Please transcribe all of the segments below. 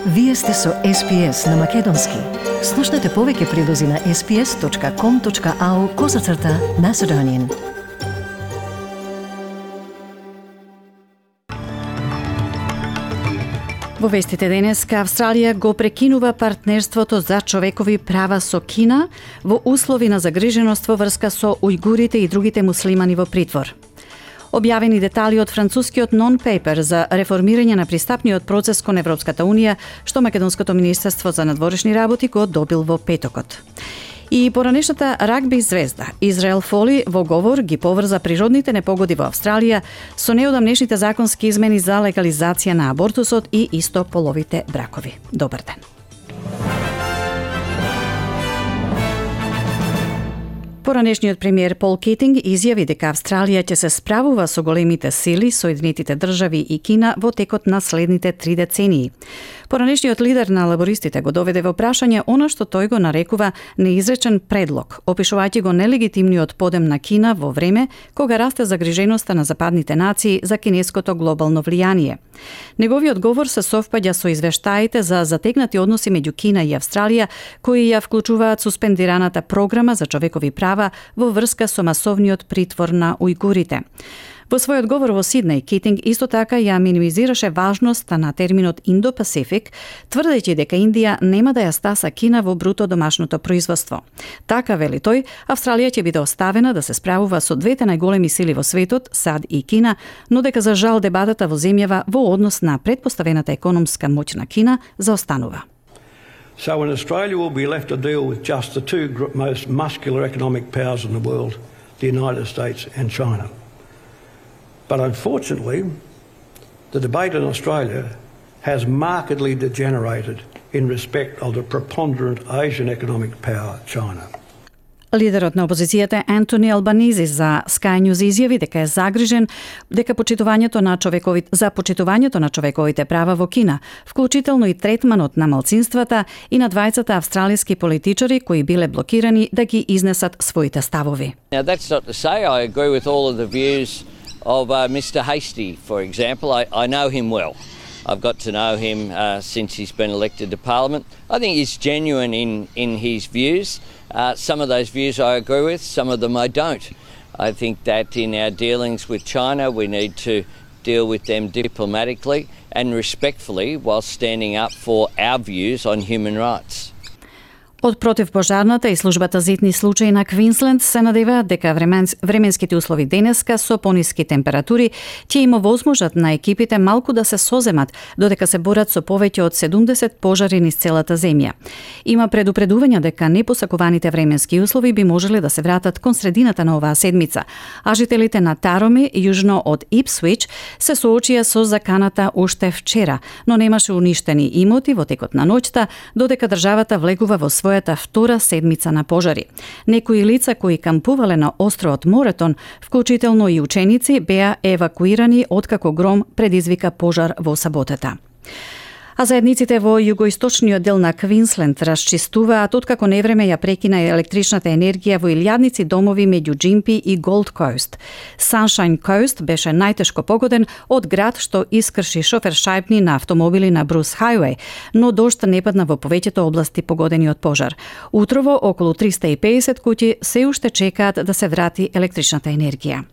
Вие сте со SPS на Македонски. Слушнете повеќе прилози на sps.com.au/Macedonian. Во вестите денеска, Австралија го прекинува партнерството за човекови права со Кина во услови на загриженост во врска со ујгурите и другите муслимани во притвор. Објавени детали од францускиот нон-пейпер за реформирање на пристапниот процес кон Европската Унија, што Македонското министерство за надворешни работи го добил во петокот. И поранешната рагби звезда Израел Фоли во говор ги поврза природните непогоди во Австралија со неодамнешните законски измени за легализација на абортусот и истополовите бракови. Добар ден. Поранешниот премиер Пол Кетинг изјави дека Австралија ќе се справува со големите сили, Соединетите држави и Кина во текот на следните 3 децении. Поранешниот лидер на лабористите го доведе во прашање она што тој го нарекува неизречен предлог, опишувајќи го нелегитимниот подем на Кина во време кога расте загриженоста на западните нации за кинеското глобално влијание. Неговиот говор се совпаѓа со извештаите за затегнати односи меѓу Кина и Австралија, кои ја вклучуваат суспендираната програма за човекови права во врска со масовниот притвор на ујгурите. Во својот говор во Сиднеј, Кетинг исто така ја минимизираше важноста на терминот Индо-Пасифик, тврдејќи дека Индија нема да ја стаса Кина во бруто домашното производство. Така, вели тој, Австралија ќе биде оставена да се справува со двете најголеми сили во светот, САД и Кина, но дека за жал дебатата во земјава во однос на претпоставената економска моќ на Кина заостанува. So in Australia we'll be left to deal with just the two most muscular economic powers in the world, the United States and China. But unfortunately, the debate in Australia has markedly degenerated in respect of the preponderant Asian economic power, China. Лидерот на опозицијата Антони Албанизи за Sky News изјави дека е загрижен дека почитувањето на човековите права во Кина, вклучително и третманот на малцинствата и на двајцата австралиски политичари кои биле блокирани да ги изнесат своите ставови. Now that's not to say I agree with all of the views of Mr. Hastie, for example. I know him well. I've got to know him since he's been elected to Parliament. I think he's genuine in his views. Some of those views I agree with, some of them I don't. I think that in our dealings with China, we need to deal with them diplomatically and respectfully while standing up for our views on human rights. Од противпожарната и службата за итни случаи на Квинсленд се надеваат дека временските услови денеска со пониски температури ќе им овозможат на екипите малку да се соземат, додека се борат со повеќе од 70 пожари низ целата земја. Има предупредувања дека непосакуваните временски услови би можеле да се вратат кон средината на оваа седмица, а жителите на Тароми, јужно од Ипсвич, се соочија со заканата уште вчера, но немаше уништени имоти во текот на ноќта, додека државата влегува во својата втора седмица на пожари. Некои лица кои кампувале на островот Моретон, вклучително и ученици, беа евакуирани откако гром предизвика пожар во саботата. А заедниците во југоисточниот дел на Квинсленд расчистуваат откако невреме ја прекина електричната енергија во илјадници домови меѓу Джимпи и Голд Коуст. Саншајн Коуст беше најтешко погоден од град што искрши шофершајбни на автомобили на Брус Хајуеј, но дожд не падна во повеќето области погодени од пожар. Утрово околу 350 куќи се уште чекаат да се врати електричната енергија.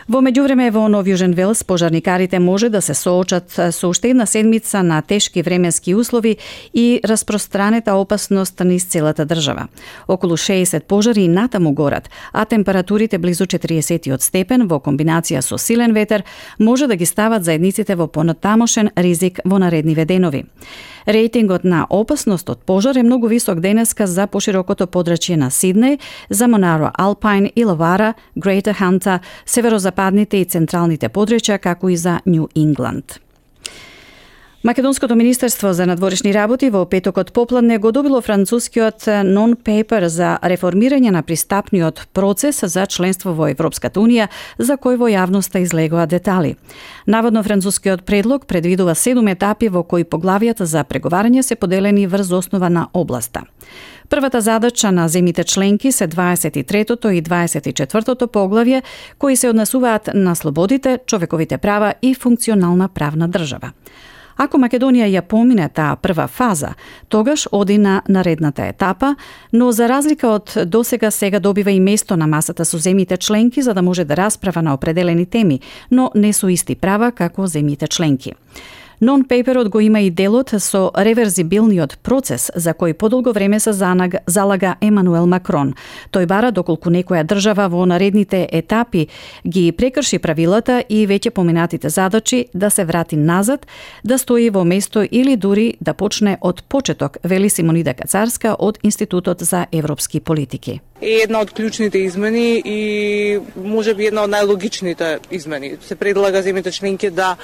Во меѓувреме во Нов Јужен Велс пожарникарите може да се соочат со уште една седмица на тешки временски услови и распространета опасност низ целата држава. Околу 60 пожари натаму горат, а температурите близу 40 степен во комбинација со силен ветер може да ги стават заедниците во понатамошен ризик во наредниве денови. Рейтингот на опасност од пожар е многу висок денеска за поширокото подрачје на Сиднеј, за Монаро Алпајн, Илавара, Грејтер Ханта, северозападните и централните подрачја, како и за Нью Ингланд. Македонското министерство за надворешни работи во петокот попладне го добило францускиот нон-пейпер за реформирање на пристапниот процес за членство во Европската Унија, за кој во јавноста излегоа детали. Наводно францускиот предлог предвидува 7 етапи во кои поглавијата за преговарање се поделени врз основа на областа. Првата задача на земјите членки се 23-тото и 24-тото поглавје, кои се однесуваат на слободите, човековите права и функционална правна држава. Ако Македонија ја помине таа прва фаза, тогаш оди на наредната етапа, но за разлика од досега сега добива и место на масата со земјите членки за да може да расправа на определени теми, но не со исти права како земјите членки. Non-paperот го има и делот со реверзибилниот процес за кој подолго време се залага Емануел Макрон. Тој бара доколку некоја држава во наредните етапи ги прекрши правилата и веќе поминатите задачи да се врати назад, да стои во место или дури да почне од почеток, вели Симонида Кацарска од Институтот за европски политики. Е една од клучните измени и можеби една од најлогичните измени. Се предлага земјите членки да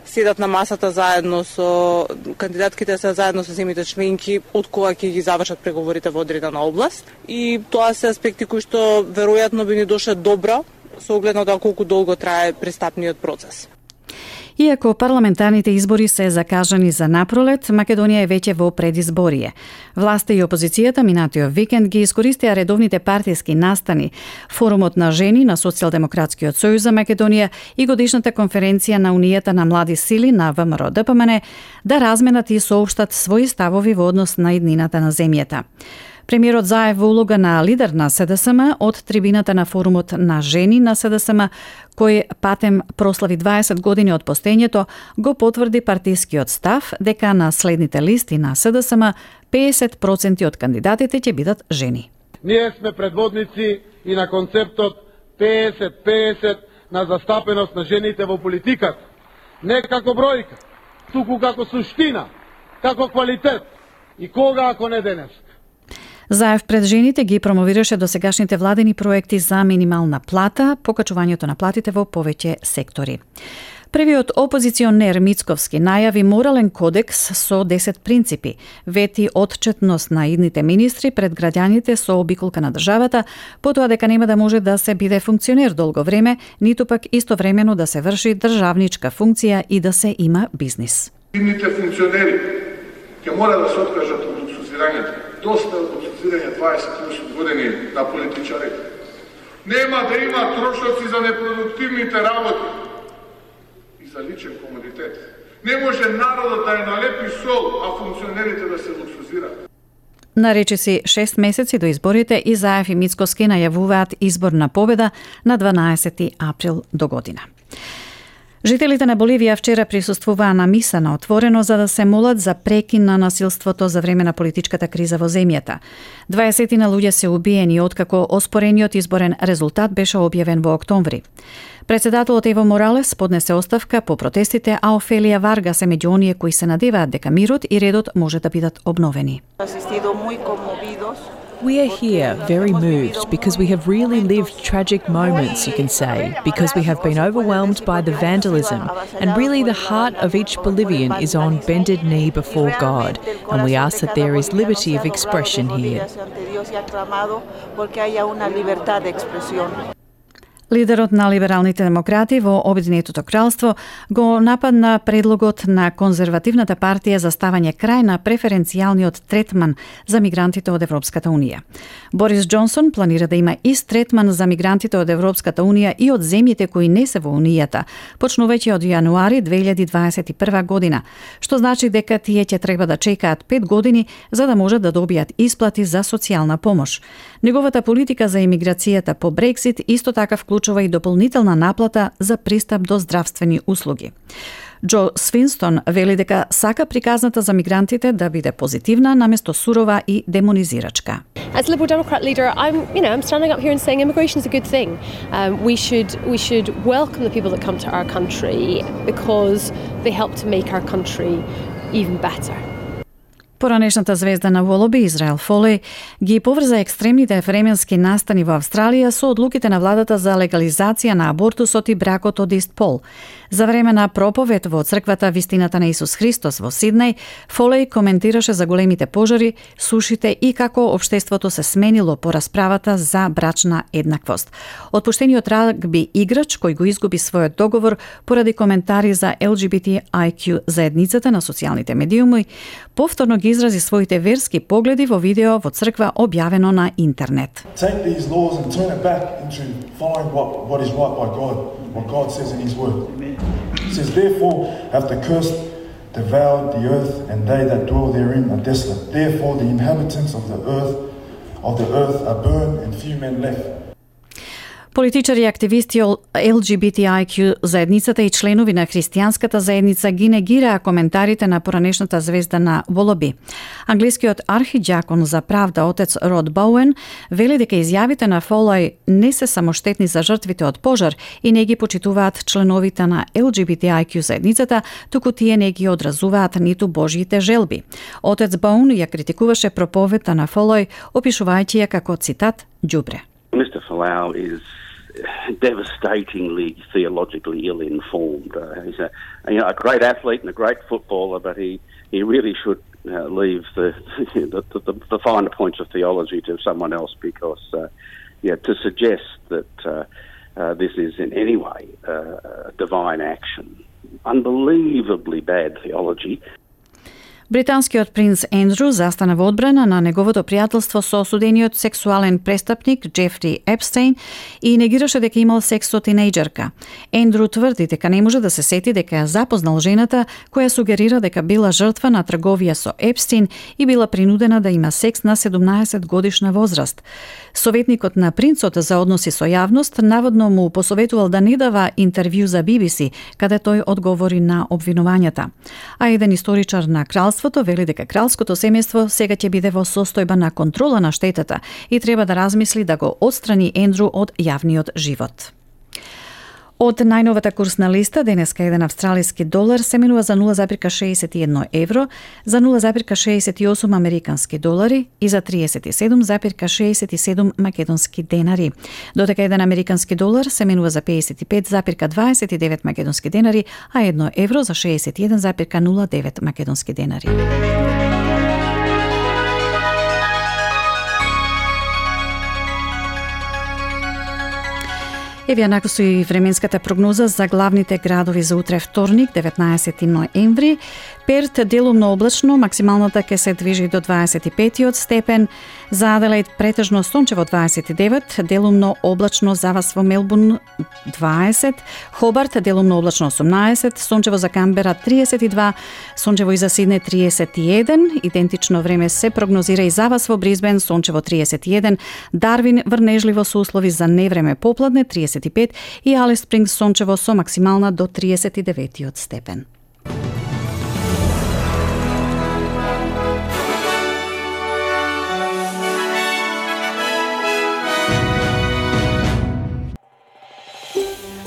седат на масата заедно со кандидатките, заедно со земјите членки од кога ќе ги завршат преговорите во одредена област. И тоа се аспекти кои што веројатно би ни дошле добро со оглед на тоа колку долго трае пристапниот процес. Иако парламентарните избори се закажани за напролет, Македонија е веќе во предизборие. Власта и опозицијата минатиот викенд ги искористија редовните партиски настани, форумот на жени на Социјалдемократскиот сојуз за Македонија и годишната конференција на Унијата на млади сили на ВМРО-ДПМН да разменат и соопштат своји ставови во однос на иднината на земјата. Премиерот Заев во улога на лидер на СДСМ од трибината на форумот на жени на СДСМ, кој патем прослави 20 години од постењето, го потврди партискиот став дека на следните листи на СДСМ 50% од кандидатите ќе бидат жени. Ние сме предводници и на концептот 50-50 на застапеност на жените во политиката. Не како бројка, туку како суштина, како квалитет. И кога ако не денес? Заев пред жените ги промовираше досегашните владени проекти за минимална плата, покачувањето на платите во повеќе сектори. Првиот опозиционер Мицковски најави морален кодекс со 10 принципи, вети отчетност на идните министри пред граѓаните со обиколка на државата, потоа дека нема да може да се биде функционер долго време, ниту пак истовремено да се врши државничка функција и да се има бизнис. Идните функционери ќе мора да се откажат од луксузирањето. Доста од луксузирање 20-30 години на политичари. Нема да има трошоци за непродуктивните работи и за личен комодитет. Не може народот да е налепи сол, а функционерите да се луксузираат. На речиси 6 месеци до изборите и Заев и Мицковски најавуваат изборна победа на 12 април до година. Жителите на Боливија вчера присуствуваа на миса на отворено за да се молат за прекин на насилството за време на политичката криза во земјата. 20 луѓе се убиени откако оспорениот изборен резултат беше објавен во октомври. Председателот Ево Моралес поднесе оставка по протестите, а Офелија Варгас е меѓу оние кои се надеваат дека мирот и редот може да бидат обновени. We are here very moved because we have really lived tragic moments, you can say, because we have been overwhelmed by the vandalism, and really the heart of each Bolivian is on bended knee before God, and we ask that there is liberty of expression here. Лидерот на либералните демократи во Обединетото кралство го нападна предлогот на конзервативната партија за ставање крај на преференцијалниот третман за мигрантите од Европската унија. Борис Џонсон планира да има ист третман за мигрантите од Европската унија и од земјите кои не се во унијата, почнувајќи од јануари 2021 година, што значи дека тие ќе треба да чекаат 5 години за да можат да добијат исплати за социјална помош. Неговата политика за имиграцијата по Брексит исто така вклучува и дополнителна наплата за пристап до здравствени услуги. Џо Свинстон вели дека сака приказната за мигрантите да биде позитивна наместо сурова и демонизирачка. As a Liberal Democrat leader, I'm standing up here and saying immigration is a good thing. We should welcome the people that come to our country because they help to make our country even better. Поранешната звезда на Волоби, Израел Фолеј, ги поврза екстремните временски настани во Австралија со одлуките на владата за легализација на абортусот и бракот од ист пол. За време на проповед во црквата Вистината на Исус Христос во Сиднеј, Фолеј коментираше за големите пожари, сушите и како општеството се сменило по расправата за брачна еднаквост. Отпуштениот рагби играч кој го изгуби својот договор поради коментари за LGBTIQ заедницата на социјалните медиуми, повторно ги изрази своите верски погледи во видео во црква објавено на интернет. Take these laws and turn it back into following what is right by God, what God says in His Word. It says, therefore, have the cursed devoured the earth, and they that dwell therein are desolate. Therefore the inhabitants of the earth are burned, and few men left. Политичари и активисти LGBTIQ заедницата и членови на христијанската заедница ги негираа коментарите на поранешната звезда на Волоби. Англискиот архидјакон за правда отец Род Боуен вели дека изјавите на Фолој не се само штетни за жртвите од пожар и не ги почитуваат членовите на LGBTIQ заедницата, туку тие не ги одразуваат ниту Божјите желби. Отец Боуен ја критикуваше проповедта на Фолој, опишувајќи ја како цитат ѓубре. Mr. Folau is devastatingly theologically ill-informed. He's a great athlete and a great footballer, but he really should leave the finer points of theology to someone else, because to suggest that this is in any way divine action, unbelievably bad theology. Британскиот принц Ендру застана во одбрана на неговото пријателство со осудениот сексуален престапник Джефри Епстейн и негираше дека имал секс со тинејџерка. Ендру тврди дека не може да се сети дека ја запознал жената која сугерира дека била жртва на трговија со Епстейн и била принудена да има секс на 17 годишна возраст. Советникот на принцот за односи со јавност наводно му посоветувал да не дава интервју за BBC, каде тој одговори на обвинувањата. А еден историчар на кралството вели дека кралското семејство сега ќе биде во состојба на контрола на штетата и треба да размисли да го отстрани Ендру од јавниот живот. Од најновата курсна листа, денеска еден австралиски долар се менува за 0,61 евро, за 0,68 американски долари и за 37,67 македонски денари. Додека еден американски долар се менува за 55,29 македонски денари, а 1 евро за 61,09 македонски денари. Еве јанако со и временската прогноза за главните градови за утре вторник, 19 ноември. Перт делумно облачно, максималната ќе се движи до 25 степен. За Аделаид претежно сончево 29, делумно облачно за вас во Мелбурн 20, Хобарт делумно облачно 18, сончево за Камбера 32, сончево и за Сидне 31, идентично време се прогнозира и за вас во Бризбен, сончево 31, Дарвин врнежливо со услови за невреме попладне 35 и Алис Спрингс сончево со максимална до 39 степен.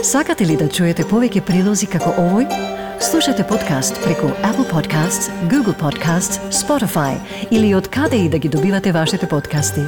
Сакате ли да чуете повеќе прилози како овој? Слушате подкаст преку Apple Podcasts, Google Podcasts, Spotify или од каде и да ги добивате вашите подкасти.